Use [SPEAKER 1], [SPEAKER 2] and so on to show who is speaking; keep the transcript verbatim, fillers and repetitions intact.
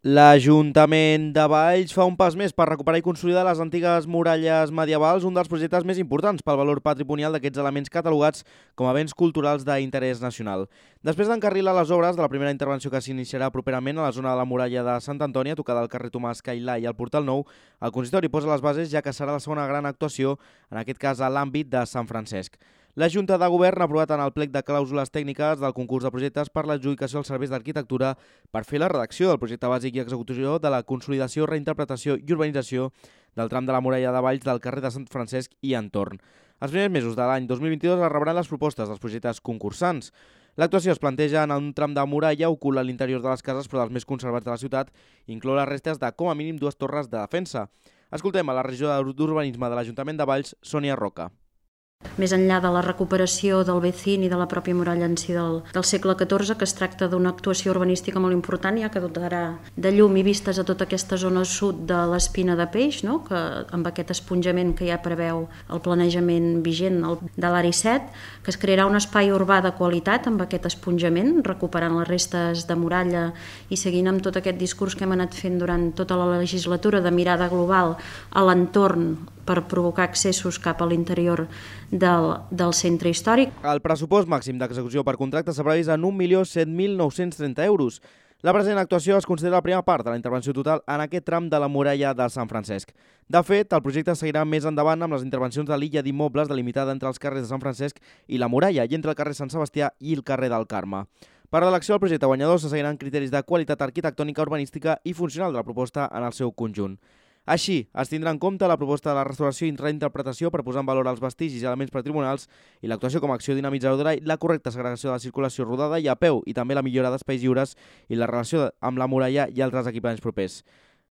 [SPEAKER 1] L'Ajuntament de Valls fa un pas més per recuperar i consolidar les antigues muralles medievals, un dels projectes més importants pel valor patrimonial d'aquests elements catalogats com a béns culturals d'interès nacional. Després d'encarrilar les obres de la primera intervenció que s'iniciarà properament a la zona de la muralla de Sant Antoni, a tocar del carrer Tomàs Cailà i el Portal Nou, el consistori posa les bases ja que serà la segona gran actuació, en aquest cas a l'àmbit de Sant Francesc. La Junta de Govern ha aprovat en el plec de clàusules tècniques del concurs de projectes per l'adjudicació als serveis d'arquitectura per fer la redacció del projecte bàsic i execució de la consolidació, reinterpretació i urbanització del tram de la muralla de Valls del carrer de Sant Francesc i entorn. Els primers mesos de l'any dos mil vint-i-dos es rebran les propostes dels projectes concursants. L'actuació es planteja en un tram de muralla ocult a l'interior de les cases, però dels més conservats de la ciutat, i inclou les restes de com a mínim dues torres de defensa. Escoltem a la regidora d'Urbanisme de l'Ajuntament de Valls, Sònia Roca.
[SPEAKER 2] Més enllà de la recuperació del Becín i de la pròpia muralla en si del, del segle catorze, que es tracta d'una actuació urbanística molt important, ja que dotarà de llum i vistes a tota aquesta zona sud de l'Espina de Peix, no? Que amb aquest esponjament que ja preveu el planejament vigent de l'A R I set, que es crearà un espai urbà de qualitat amb aquest esponjament, recuperant les restes de muralla i seguint amb tot aquest discurs que hem anat fent durant tota la legislatura de mirada global a l'entorn per provocar accessos cap a l'interior del, del centre històric.
[SPEAKER 1] El pressupost màxim d'execució per contracte s'ha previst en un milió set mil nou-cents trenta euros. La present actuació es considera la primera part de la intervenció total en aquest tram de la muralla de Sant Francesc. De fet, el projecte seguirà més endavant amb les intervencions de l'illa d'immobles delimitada entre els carrers de Sant Francesc i la muralla i entre el carrer Sant Sebastià i el carrer del Carme. Per l'elecció del projecte guanyador se seguiran criteris de qualitat arquitectònica, urbanística i funcional de la proposta en el seu conjunt. Així, es tindrà en compte la proposta de la restauració i reinterpretació per posar en valor els vestigis i elements patrimonials i l'actuació com a acció dinamitzadora i la correcta segregació de la circulació rodada i a peu i també la millora d'espais lliures i la relació amb la muralla i altres equipaments propers.